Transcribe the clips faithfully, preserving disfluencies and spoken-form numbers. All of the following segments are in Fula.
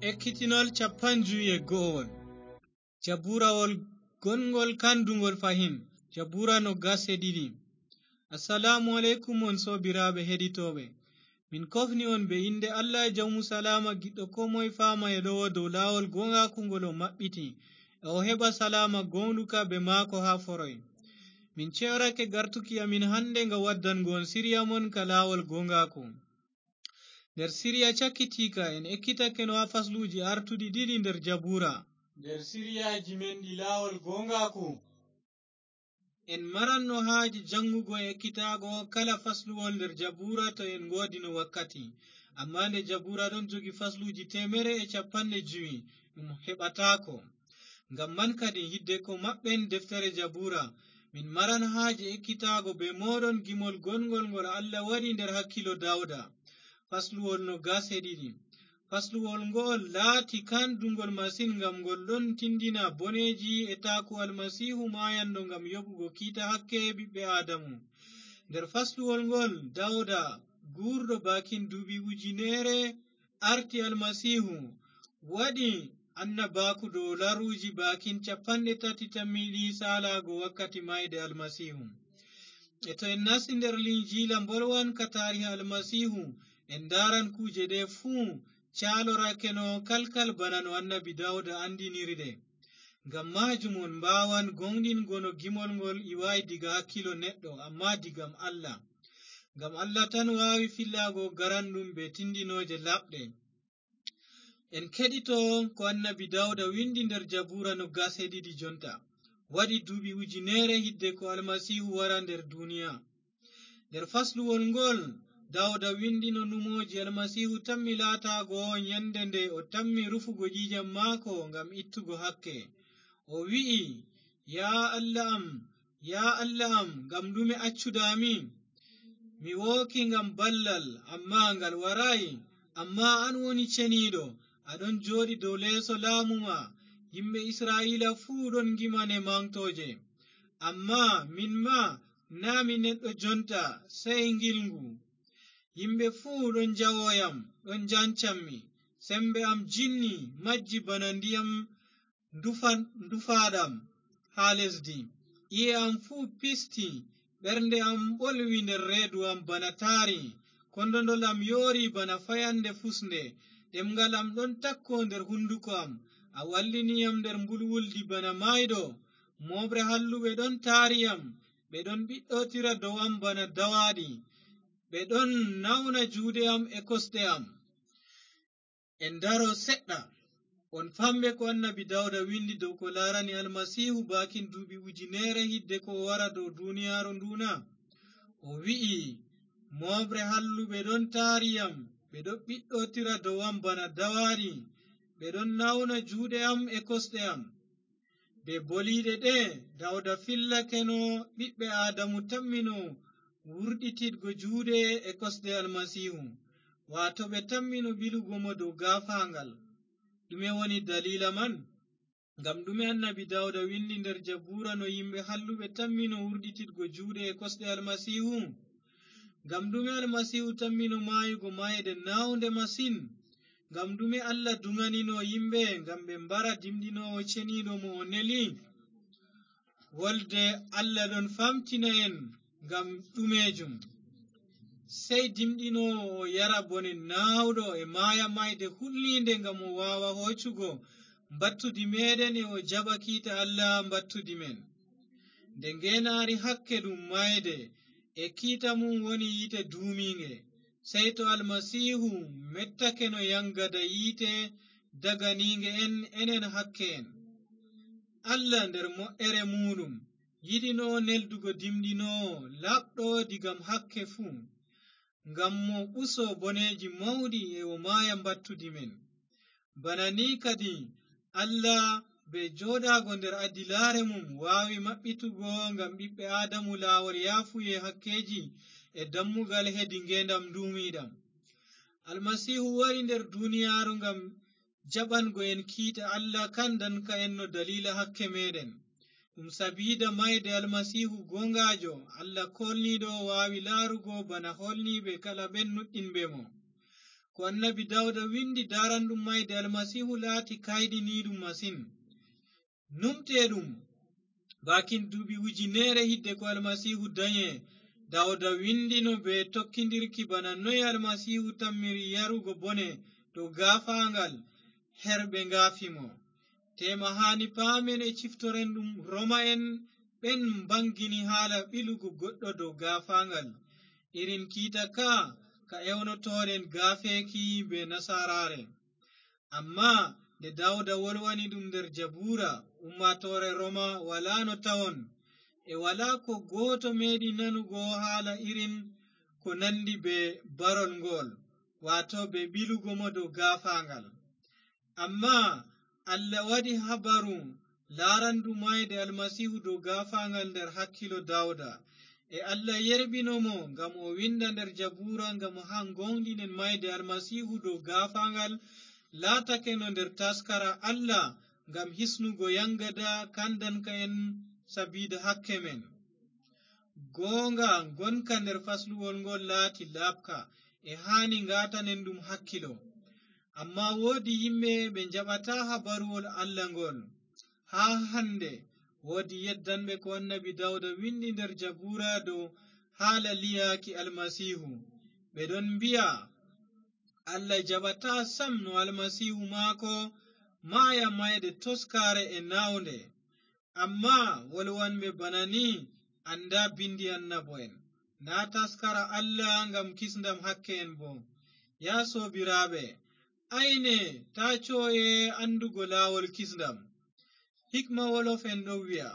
Ekkitinol cappanɗe jowi e go'owol. Jabuurawol gonngol kandungol fahin. Jabuura no gase ɗiɗi. Assalaamu aleykum, on soobiraaɓe heɗitooɓe. Min kofni on be innde Allah e Jawmu Salaama, giɗɗo koo moye faama e ɗowo dow laawol gooŋgaaku ngol o maɓɓiti, e o heɓa salaama gooŋɗuka be maako haa foroy. Min ceyorake gartuki amin hande nga waddango on siriya mon ka laawol gooŋgaaku. Nder siriya cakkitiika, en ekkitakeno haa fasluuji artuɗi ɗiɗi nder Jabuura. Nder siriyaaji men ɗi laawol gooŋgaaku, en maranno haaje jaŋngugo e ekkitaago kala fasluwol nder Jabuura to en ngoodino wakkati. Ammaa nde Jabuura ɗon jogi fasluuji teemerre e cappanɗe jowi, ɗum heɓataako. Ngam man kadi, hiddeko maɓɓen deftere Jabuura, min maran haaje ekkitaago bee mooɗon gimol gonngol ngol Allah waɗi nder hakkiilo Dawda. Fasluwol noogas e ɗiɗi. Fasluwol ngo'ol laati kandungol masin, ngam ngol ɗon tindina boneeji e taaku Almasiihu maayanɗo ngam yoɓugo kiita hakke ɓiɓɓe Aadamu. Nder fasluwol ngo'ol, Dawda, guurɗo baakin duuɓi ujineere, arti Almasiihu, waɗi annabaaku dow laruuji baakin cappanɗe tati tammiiɗi saalaago wakkati maayde Almasiihu. E to en nasti nder Linjiila mbolwan ka taarihi Almasiihu, en ndaaran kuuje ɗe fuu caalorakeno kalkal bana no annabi Dawda anndiniri ɗe. Ngam maajum on mbaawan gooŋɗingo no gimol ngol iwaay diga hakkiilo neɗɗo, ammaa diga Allah. Ngam Allah tan waawi fillaago garanɗum bee tindinooje laaɓɗe. En keɗito ko annabi Dawda windi nder Jabuura noogas e ɗiɗi jonta. Waɗi duuɓi ujineere hiddeko Almasiihu wara nder duniya. Nder fasluwol ngol, Dawda windi no numooji Almasiihu tammi laataago nyande nde o tammi rufugo ƴiiƴam maako ngam ittugo hakke. O wi'i, "Yaa Allah am, yaa Allah am, ngam ɗume accuɗa mi? Mi wooki ngam ballal, ammaa ngal waraay. Ammaa an woni ceniiɗo, a ɗon jooɗi dow leeso laamu ma. Yimɓe Isra'iila fuu ɗon ngimane maŋgtooje. Ammaa min ma, naa mi neɗɗo jonta, sey ngilngu. Yimɓe fuu ɗon njawoyam, ɗon njancammi. Sembe am jinni, majji bana ndiyam ndufa-, ndufaaɗam haa lesdi. I'e am fuu pisti, ɓernde am ɓolwi nder reedu am bana taari. Kondondol am yoori bana fayande fusnde. Ɗemŋgal am ɗon takko nder hunduko am. A wallini yam nder mbulwuldi bana maayɗo. Mooɓre halluɓe ɗon taari yam. Ɓe ɗon ɓiɗɗotira dow am bana dawaaɗi. Ɓe ɗon nawna juuɗe am e kosɗe am." En ndaro seɗɗa, on fambe ko annabi Dawda windi dow ko laarani Almasiihu baakin duuɓi ujineere hidde ko o wara dow duniyaaru ndu na? O wi'i, "Mooɓre halluɓe ɗon taari yam, ɓe ɗon ɓiɗɗotira dow am bana dawaaɗi, ɓe ɗon nawna juuɗe am e kosɗe am." Bee boliiɗe ɗe Dawda fillakeno ɓiɓɓe Aadamu tammino wurɗitidgo juuɗe e kosɗe Almasiihu, waato ɓe tammino ɓilugo mo dow gaafaangal. Ɗume woni daliila man? Ngam ɗume annabi Dawda windi nder Jabuura no yimɓe halluɓe tammino wurɗitidgo juuɗe e kosɗe Almasiihu? Ngam ɗume Almasiihu tammino maayugo maayde naawnde masin? Ngam ɗume Allah duŋanino yimɓe ngam ɓe mbara dimɗinoowo ceniiɗo mo o neli? Wolde Allah ɗon famtina en ngam ɗumeejum. Sey dimɗinoowo o yara bone naawɗo e maaya maayde hulniinde ngam o waawa hoocugo mbattudi meeɗen e o jaɓa kiita Allah mbattudi men. Nde ngeenaari hakke ɗum maayde, e kiita mum woni yiite duumiiŋge. Sey to Almasiihu mettake no yaŋgada yiite daganiiŋge en, enen hakke en. Allah nder mo'ere muuɗum yiɗino neldugo dimɗinoowo laaɓɗo digam hakke fuu, ngam mo ɓuso boneeji mawɗi e o maaya mbattudi men. Bana ni kadi, Allah bee jooɗaago nder adilaare mum waawi maɓɓitugo ngam ɓiɓɓe Aadamu laawol yaafuye hakkeeji e dammugal hedi ngeendam nduumiiɗam. Almasiihu wari nder duniyaaru ngam jaɓango en kiita Allah kan danka en no daliila hakke meeɗen. Ɗum sabiida mayde Almasiihu gooŋgaajo, Allah koolniiɗo waawi laarugo bana hoolniiɓe kala ɓen nuɗɗinɓe mo. Ko annabi Dawda windi daranɗum mayde Almasiihu laati kayɗiniiɗum masin. Numtee ɗum, baakin duuɓi ujineere hidde ko Almasiihu dañee, Dawda windino bee tokkindirki bana noy Almasiihu tammiri yarugo bone dow gaafaangal her ɓe ngaafi mo. Teema haani paamen e ciftoren ɗum Roma'en ɓen mbaŋgini haala ɓilugo goɗɗo dow gaafaangal. Irin kiita ka, ka ewnotooɗen gaafeeki bee nasaaraare. Ammaa nde Dawda wolwani ɗum nder Jabuura, ummaatoore Roma walaano tawon, e walaa ko gooto meeɗi nanugo haala irin ko nandi bee barol ngool, waato bee ɓilugo mo dow gaafaangal. Ammaa Allah waɗi habaru laarandu mayde Almasiihu dow gaafaangal nder hakkilo Dawda, e Allah yerɓino mo ngam o winda nder Jabuura ngam haa ngooŋɗinen mayde Almasiihu dow gaafaangal laatake no nder taskara Allah ngam hisnugo yaŋgada kaandanka en sabiida hakke men. Gooŋga ngonka nder fasluwol ngol laati laaɓka, e haani ngaatanen ɗum hakkilo. Ammaa woodi yimɓe ɓe njaɓataa habaruwol Allah ngol. Haa hannde, woodi yeddanɓe ko annabi Dawda windi nder Jabuura dow haala liyaaki Almasiihu. Ɓe ɗon mbi'a, Allah jaɓataa sam no Almasiihu maako maaya mayde toskaare e naawnde. Ammaa wolwanɓe bana ni anndaa binndi annabo'en, naa taskara Allah ngam kisndam hakke'en boo. Yaa soobiraaɓe, ayne, taa cooye anndugo laawol kisndam. Hikma wolof'en ɗon wi'a,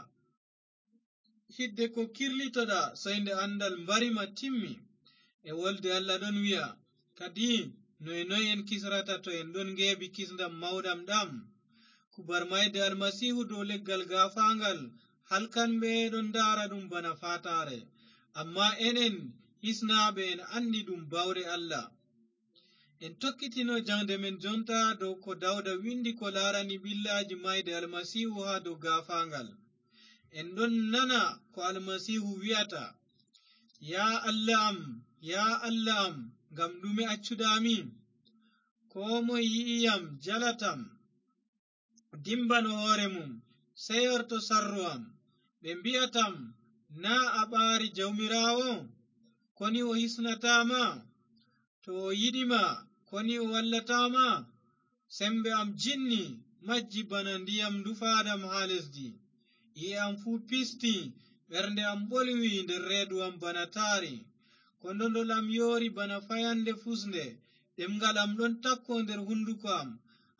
hidde ko kirlitoɗa, soynde anndal mbari ma timmi. E wolde Allah ɗon wi'a, kadi noy noy en kisrata to en ɗon ngeebi kisndam mawɗam ɗam? Kubar mayde Almasiihu dow leggal gaafaangal halkanɓe ɗon ndaara ɗum bana faataare. Ammaa enen hisnaaɓe en anndi ɗum baawɗe Allah. En tokkitino jaŋde men jonta dow ko Dawda windi ko laarani ɓillaaji mayde Almasiihu haa dow gaafaangal. En ɗon nana ko Almasiihu wi'ata, yaa Allah am, yaa Allah am, ngam ɗume accuɗa mi? Koo moy yi'i yam jalatam, dimbano hoore mum, seyorto sarru am. Ɓe mbi'atam, naa a ɓaari Jawmiraawo? Koni o hisnataa ma? To o yiɗi ma, koni o wallataa ma? Sembe am jinni, majji bana ndiyam ndufaaɗam haa lesdi. I'e am fuu pisti, ɓernde am ɓolwi nder reedu am bana taari. Kondondol am yoori bana fayande fusnde, ɗemŋgal am ɗon takko nder hunduko am.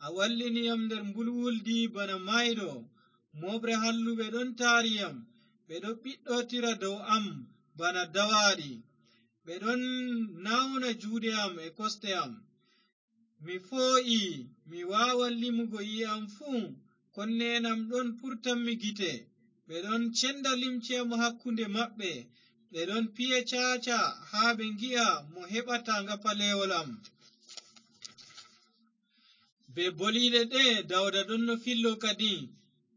A wallini yam nder mbulwuldi bana maayɗo. Mooɓre halluɓe ɗon taari yam, ɓe ɗon ɓiɗɗotira dow am bana dawaaɗi. Ɓe ɗon naawna juuɗe am e kosɗe am. Mi foo'i, mi waawan limugo i'e am fuu. Konne'en am ɗon purtammi gite. Ɓe ɗon cenda limce am hakkunde maɓɓe. Ɓe ɗon piya caaca haa ɓe ngi'a mo heɓata ngapaleewol am. Bee boliiɗe ɗe Dawda ɗon no fillo kadi,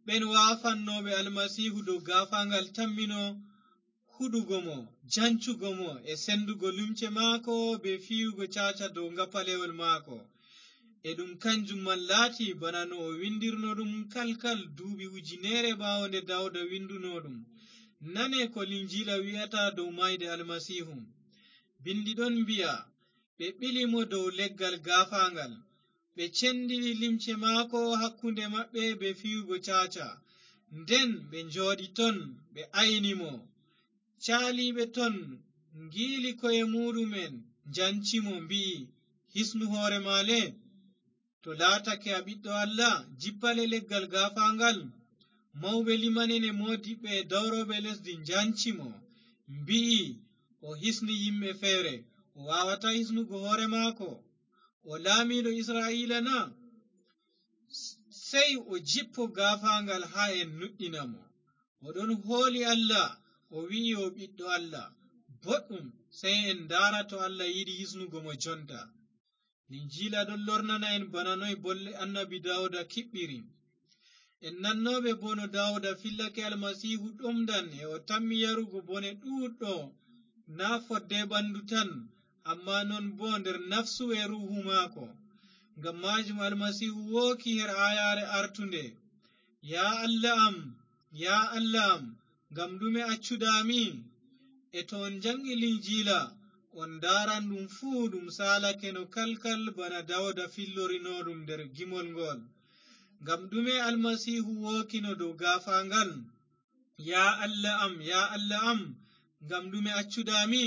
ɓen waafannooɓe Almasiihu dow gaafaangal tammino huɗugo mo, jancugo mo e sendugo lumce maako bee fiyugo caaca dow ngapaleewol maako. E ɗum kanjum man laati bana no o windirno ɗum kalkal duuɓi ujineere ɓaawo nde Dawda winduno ɗum. Nane ko Linjiila wi'ata dow maayde Almasiihu. Bindi ɗon mbi'a, ɓe ɓili mo dow leggal gaafaangal, ɓe cendini limce maako hakkunde maɓɓe bee fiyugo caaca. Nden ɓe njooɗi ton, ɓe ayni mo. Caaliiɓe ton ngiili ko'e muuɗum'en, njanci mo, mbi'i, hisnu hoore ma le. To laatake a ɓiɗɗo Allah, jippa le leggal gaafaangal. Mawɓe liman'en e moodiɓɓe e dawrooɓe lesdi njanci mo, mbi'i, o hisni yimɓe feere, o waawataa hisnugo hoore maako. O laamiiɗo Isra'iila na? Sey o jippo gaafaangal haa en nuɗɗina mo. O ɗon hooli Allah, o wi'i o ɓiɗɗo Allah. Boɗɗum, sey en ndaara to Allah yiɗi hisnugo mo jonta. Linjiila ɗon lornana en bana noy bolle annabi Dawuda kiɓɓiri. En nannooɓe boo no Dawuda fillake Almasiihu ɗomɗan e o tammi yarugo bone ɗuuɗɗo, naa fodde ɓandu tan, ammaa non boo nder nafsu e ruuhu maako. Ngam maajum Almasiihu wooki her aayaare artunde, "Yaa Allah am, yaa Allah am, ngam ɗume accuɗaa mi?" E to on njaŋgi Linjiila, on ndaaran ɗum fuu ɗum saalakeno kalkal bana Dawda fillorino ɗum nder gimol ngool. Ngam ɗume Almasiihu wookino dow gaafaangal, "Yaa Allah am, yaa Allah am, ngam ɗume accuɗaa mi?"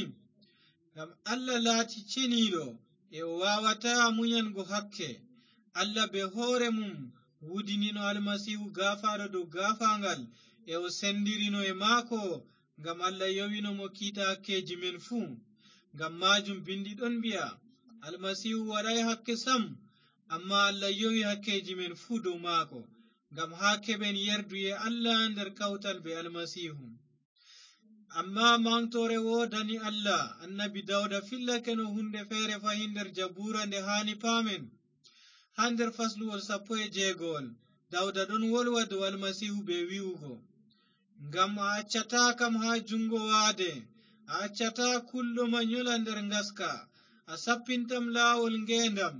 Ngam Allah laati ceniiɗo, e o waawataa munyango hakke. Allah bee hoore mum wudinino Almasiihu gaafaaɗo dow gaafaangal, e o sendirino e maako, ngam Allah yowino mo kiita hakkeeji men fuu. Ngam maajum binndi ɗon mbi'a, "Almasiihu waɗaay hakke sam, ammaa Allah yowi hakkeeji men fuu dow maako, ngam haa keɓen yerduye Allah nder kawtal bee Almasiihu." Ammaa maŋgtoore woodani Allah, annabi Dawda fillakeno huunde feere fahin nder Jabuura nde haani paamen. Haa nder fasluwol sappo e jeegowol, Dawda ɗon wolwa dow Almasiihu bee wi'ugo, "Ngam a accataa kam haa juŋngo waade, a accataa kulɗo ma nyola nder ngaska, a sappintam laawol ngeendam,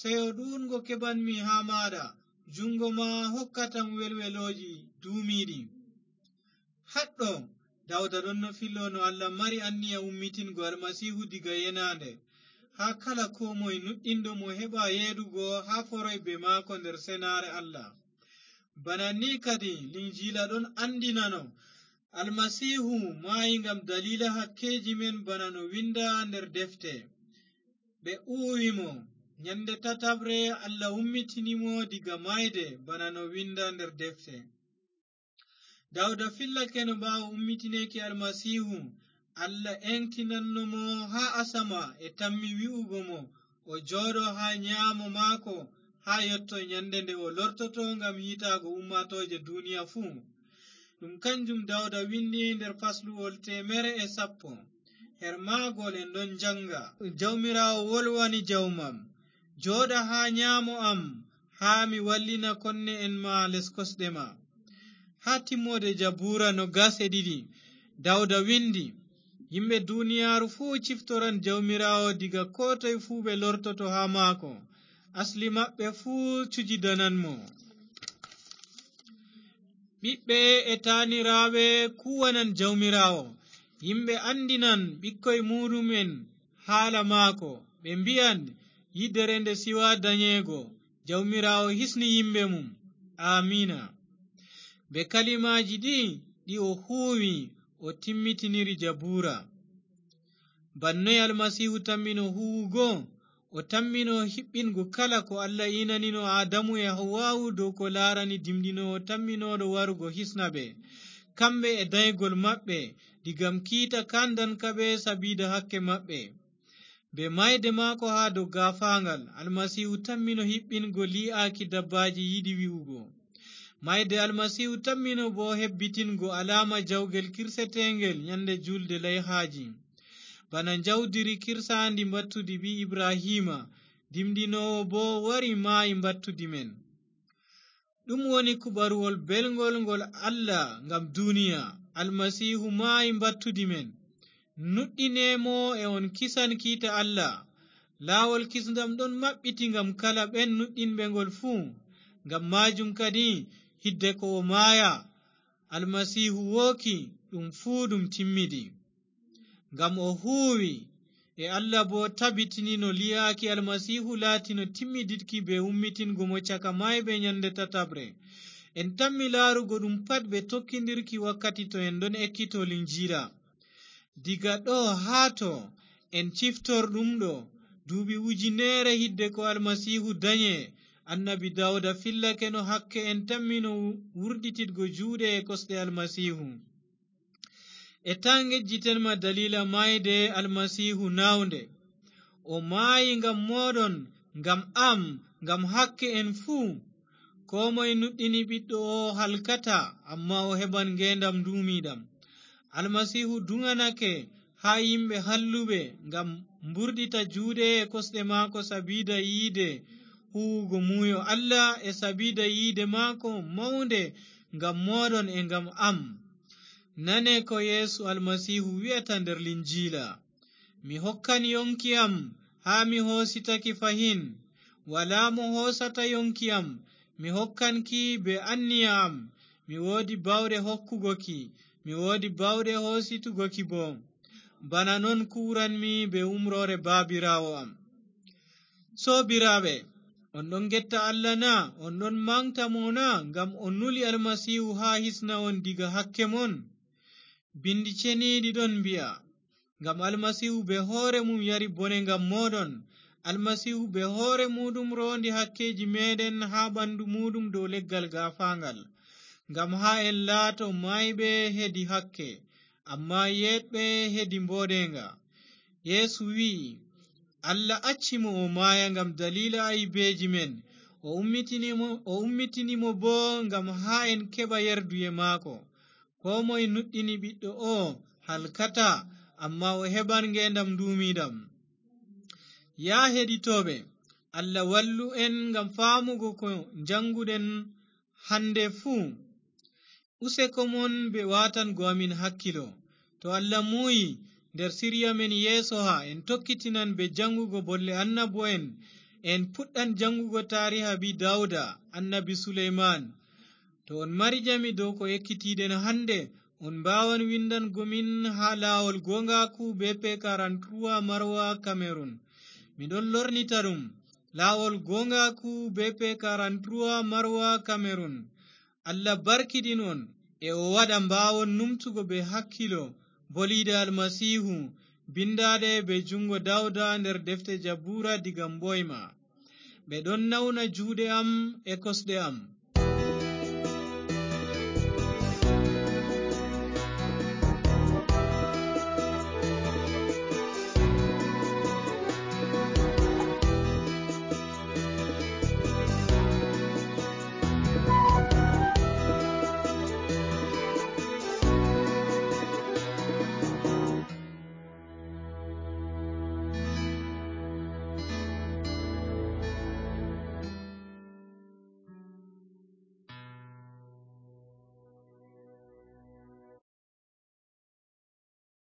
seyo ɗuuɗŋgo keɓanmi haa maaɗa, juŋngo ma hokkatam welwelooji duumiiɗi." Haɗɗo, Dawda ɗon no fillo no Allah mari anniya ummitingo Almasiihu diga yenaande, haa kala koo moy nuɗɗinɗo mo heɓa yeeɗugo haa foroy bee maako nder senaare Allah. Bana ni kadi, Linjiila ɗon anndinano, Almasiihu maayi ngam daliila hakkeeji men bana no winnda nder defte. Ɓe uwi mo. Nyande tataɓre Allah ummitini mo diga maayde bana no winnda nder defte. Dawda fillakeno ɓaawo ummitineeki Almasiihu, Allah eŋtinanno mo haa asama e tammi wi'ugo mo o jooɗo haa nyaamo maako haa yotto nyande nde o lortoto ngam hiitaago ummaatooje duniya fuu. Ɗum kanjum Dawda windi nder fasluwol teemere e sappo. Her maagol en ɗon njaŋga, "Jawmiraawo wolwani jawmam, 'Jooɗa haa nyaamo am, haa mi wallina konne'en ma les kosɗe ma.'" Haa timmoode Jabuura noogas e ɗiɗi, Dawda windi, "Yimɓe duniyaaru fuu ciftoran Jawmiraawo diga koo toy fuu ɓe lortoto haa maako. Asli maɓɓe fuu cujidanan mo. Ɓiɓɓe e taaniraaɓe kuuwanan Jawmiraawo. Yimɓe anndinan ɓikkoy muuɗum'en haala maako. Ɓe mbi'an, 'Yidere nde siwaa danyeego. Jawmiraawo hisni yimɓe mum.'" Aamiina. Bee kalimaaji ɗi, ɗi o huuwi, o timmitiniri Jabuura. Bannoy Almasiihu tammino huuwugo, o tammino hiɓɓingo kala ko Allah iinanino Aadamu e Hawwaawu dow ko laarani dimɗinoowo tamminooɗo warugo hisna ɓe, kamɓe e danygol maɓɓe, digam kiita kaandanka ɓe sabiida hakke maɓɓe. Bee maayde maako haa dow gaafaaŋgal, Almasiihu tammino hiɓɓingo lii'aaki dabbaaji yiɗi wi'ugo. Maayde Almasiihu tammino boo hebbitingo alaama jawgel kirseteeŋgel nyande juulde layhaaji. Bana njawdiri kirsaandi mbattudi ɓii Ibrahiima, dimɗinoowo boo wari maayi mbattudi men. Ɗum woni kubaruwol belŋgol ngol Allah ngam duniya. Almasiihu maayi mbattudi men. Nuɗɗine mo e on kisan kiita Allah. Laawol kisndam ɗon maɓɓiti ngam kala ɓen nuɗɗinɓe ngol fuu. Ngam maajum kadi, hidde ko o maaya, Almasiihu wooki, ɗum fuu ɗum timmidi. Ngam o huuwi, e Allah boo tabitini no lii'aaki Almasiihu laatino timmiditki bee ummitingo mo caka maayɓe nyande tataɓre. En tammi laarugo ɗum pat bee tokkindirki wakkati to en ɗon ekkito Linjiila. Diga ɗo haa to en ciftor ɗum ɗo, duuɓi ujineere hidde ko Almasiihu danye, annabi Dawda fillake no hakke en tammino wurɗititgo juuɗe e kosɗe Almasiihu. E taa ngejjiten ma daliila maayde Almasiihu naawnde. O maayi ngam mooɗon, ngam am, ngam hakke en fuu. Koo moy nuɗɗini Ɓiɗɗo o halkataa, ammaa o heɓan ngeendam nduumiiɗam. Almasiihu duŋanake haa yimɓe halluɓe ngam mburɗita juuɗe e kosɗe maako sabiida yiide huuwugo muuyo Allah e sabiida yiide maako mawnde ngam mooɗon e ngam am. Nane ko Yeesu Almasiihu wi'ata nder Linjiila. Mi hokkan yonki am haa mi hoositaki fahin. Walaa mo hoosata yonki am, mi hokkan ki bee anniya am. Mi woodi baawɗe hokkugo ki, mi woodi baawɗe hoositugo ki boo. Bana non kuuwranmi bee umroore Baabiraawo am. Soobiraaɓe, on ɗon ngetta Allah na? On ɗon maŋgta mo na ngam o nuli Almasiihu haa hisna on diga hakke mon? Bindi Ceniiɗi ɗon mbi'a, ngam Almasiihu bee hoore mum yari bone ngam mooɗon. Almasiihu bee hoore muuɗum roondi hakkeeji meeɗen haa ɓandu muuɗum dow leggal gaafaaŋgal, ngam haa en laato maayɓe hedi hakke, ammaa yeeɗɓe hedi mbooɗeeŋga. Yeesu wi'i, Allah acci mo o maaya ngam daliila aybeeji men. O ummitini mo, o ummitini mo boo ngam haa en keɓa yerduye maako. Koo moy nuɗɗini ɓiɗɗo oo halkataa, ammaa o heɓan ngeendam nduumiiɗam. Yaa heɗitooɓe, Allah wallu en ngam faamugo ko njaŋguɗen hande fuu. Useko mon bee waatango amin hakkilo. To Allah muuyi, nder sirya men yeeso haa en tokkitinan bee jaŋgugo bolle annabo'en, en puɗɗan jaŋgugo taariha ɓii Dawuda, annabi Suleyman. To on mari jami dow ko ekkitiiɗen hande, on mbaawan windango min haa laawol gooŋgaaku B P quarante-trois Marwa, Cameroun. Mi ɗon lornita ɗum, laawol gooŋgaaku B P quarante-trois Marwa, Cameroun. Allah barkiɗin on, e o waɗa mbaawon numtugo bee hakkilo boliiɗe Almasiihu, bindaaɗe bee juŋngo Dawda nder defte Jabuura diga mboyma. Ɓe ɗon nawna juuɗe am e kosɗe am.